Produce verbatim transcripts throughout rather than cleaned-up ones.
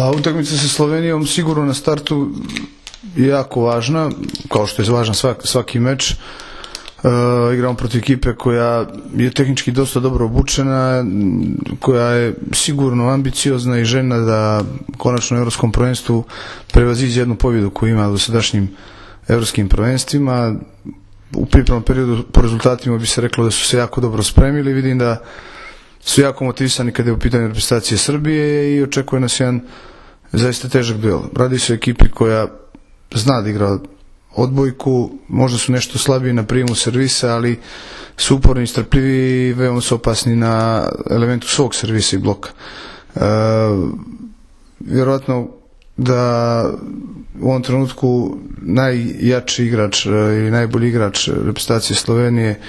Pa utakmica sa Slovenijom sigurno na startu je jako važna, kao što je važan svaki, svaki meč. Uh, igramo protiv ekipe koja je tehnički dosta dobro obučena, koja je sigurno ambiciozna i željna da konačno u evropskom prvenstvu prevaziđe jednu pobjedu koju ima u dosadašnjim evropskim prvenstvima. U pripremnom periodu po rezultatima bi se reklo da su se jako dobro spremili. Vidim da su jako motivisani kada je u pitanju reprezentacije Srbije i očekuje nas jedan zaista težak duel. Radi se o ekipi koja zna da igra odbojku, možda su nešto slabiji na prijemu servisa, ali su uporni i strpljivi i veoma su opasni na elementu svog servisa i bloka. E, vjerojatno da u ovom trenutku najjači igrač i najbolji igrač reprezentacije Slovenije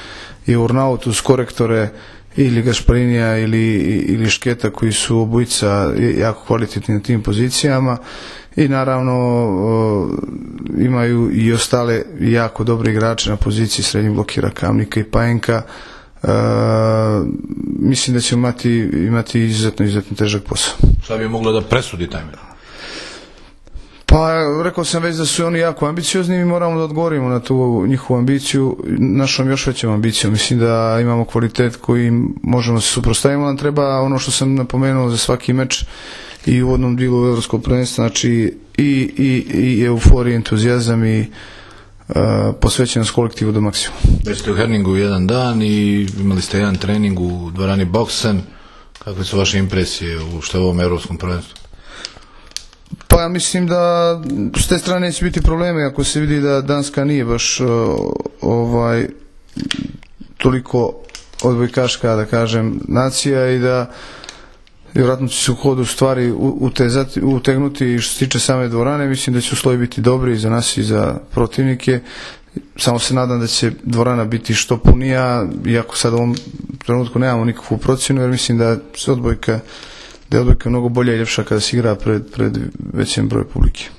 je Urnautu uz korektore ili Gašparinija ili, ili Šketa koji su obojica jako kvalitetni na tim pozicijama i naravno o, imaju i ostale jako dobre igrače na poziciji srednjih blokira Kamnika i Pajenka. E, mislim da će imati, imati izuzetno, izuzetno težak posao. Šta bi moglo da presudi taj meč? Pa rekao sam već da su oni jako ambiciozni i moramo da odgovorimo na tu njihovu ambiciju našom još većom ambicijom. Mislim da imamo kvalitet koji možemo se suprotstaviti. Nam treba ono što sam napomenuo za svaki meč i u uvodnom dijelu evropskog prvenstva, znači i, i, i euforija, entuzijazam i uh, posvećenost kolektivu do maksimuma. Već ste u Herningu jedan dan i imali ste jedan trening u dvorani Boksen. Kakve su vaše impresije u što ovom evropskom prvenstvu? Pa ja mislim da s te strane neće biti probleme ako se vidi da Danska nije baš uh, ovaj toliko odbojkaška, da kažem, nacija i da vjerojatno će se u hodu stvari utezati, utegnuti i što se tiče same dvorane. Mislim da će uslovi biti dobri i za nas i za protivnike. Samo se nadam da će dvorana biti što punija, iako sad u ovom trenutku nemamo nikakvu procjenu, jer mislim da se odbojka da je odbojka mnogo bolja i ljepša kada se igra pred, pred većem broju publike.